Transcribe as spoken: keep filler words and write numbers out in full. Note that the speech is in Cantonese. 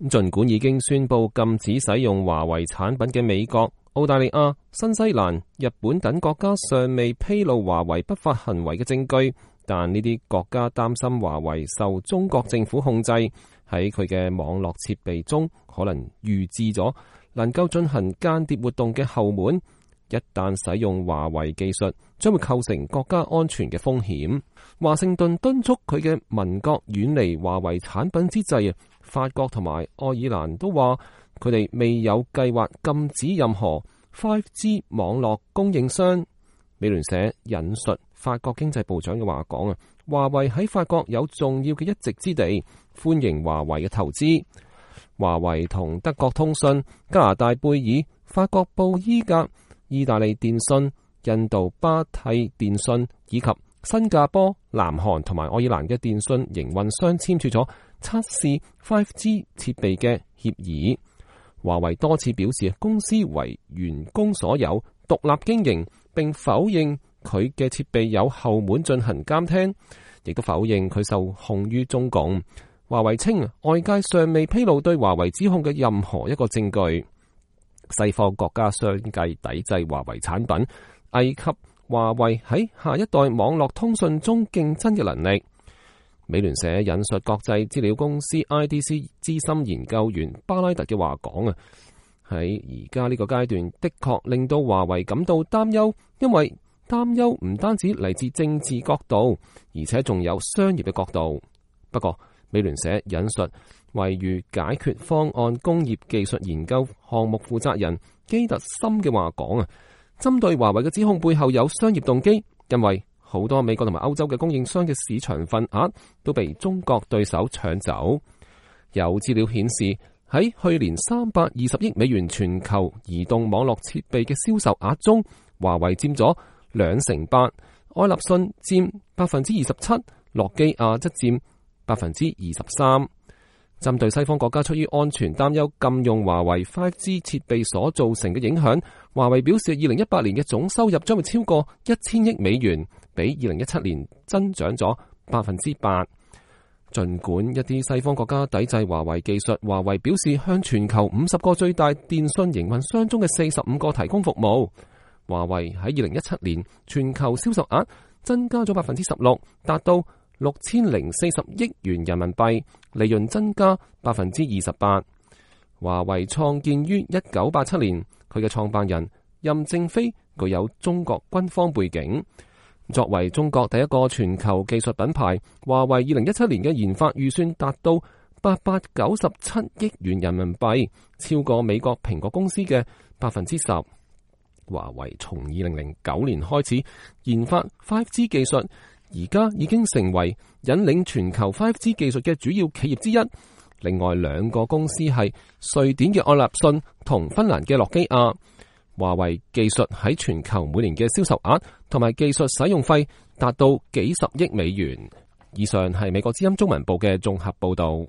儘管已經宣布禁止使用華為產品嘅美國、澳大利亞、新西蘭、日本等國家尚未披露華為不法行為嘅證據，但呢啲國家擔心華為受中國政府控制，喺佢嘅網絡設備中可能預置咗能夠進行間諜活動嘅後門。一旦使用華為技術，將會構成國家安全嘅風險。華盛頓敦促佢嘅盟國遠離華為產品之際，法國同埋愛爾蘭都話佢哋未有計劃禁止任何 五 G 網絡供應商。美聯社引述法國經濟部長嘅話講啊，華為喺法國有重要嘅一席之地，歡迎華為嘅投資。華為同德國通訊、加拿大貝爾、法國布伊格、意大利電信、印度巴蒂電信以及新加坡、南韓同埋愛爾蘭嘅電信營運商簽署咗測試 五 G 設備嘅協議。華為多次表示公司為員工所有，獨立經營，並否認佢嘅設備有後門進行監聽，亦都否認佢受控於中共。華為稱外界尚未披露對華為指控嘅任何一個證據。西方國家相繼抵制華為產品，危及華為喺下一代網絡通訊中競爭嘅能力。美聯社引述國際資料公司 I D C 資深研究員巴拉特嘅話講啊，喺而家呢個階段的確令到華為感到擔憂，因為擔憂唔單止嚟自政治角度，而且仲有商業嘅角度。不過美聯社引述位於解決方案工業技術研究項目負責人基特森嘅話講啊，針對華為嘅指控背後有商業動機，因為好多美國同埋歐洲嘅供應商嘅市場份額都被中國對手搶走。有資料顯示，喺去年三百二十億美元全球移動網絡設備嘅銷售額中，華為佔咗兩成八，愛立信佔百分之二十七，諾基亞則佔百分之二十三。針對西方國家出於安全擔憂禁用華為 五 G 設備所造成嘅影響，華為表示二零一八年嘅總收入將會超過一千億美元，比二零一七年增長咗百分之八。儘管一啲西方國家抵制華為技術，華為表示向全球五十個最大電信營運商中嘅四十五個提供服務。華為喺二零一七年全球銷售額增加咗百分之十六，達到六千零四十億元人民幣，利潤增加百分之二十八。華為創建於一九八七年，佢嘅創辦人任正非具有中國軍方背景。作為中國第一個全球技術品牌，華為二零一七年嘅研發預算達到八百九十七億元人民幣，超過美國蘋果公司嘅百分之十。華為從二零零九年開始研發 五 G 技術，而家已經成為引領全球 五 G 技術嘅主要企業之一。另外兩個公司係瑞典嘅愛立信同芬蘭嘅諾基亞。華為技術喺全球每年嘅銷售額同埋技術使用費達到幾十億美元。以上係美國之音中文部嘅綜合報道。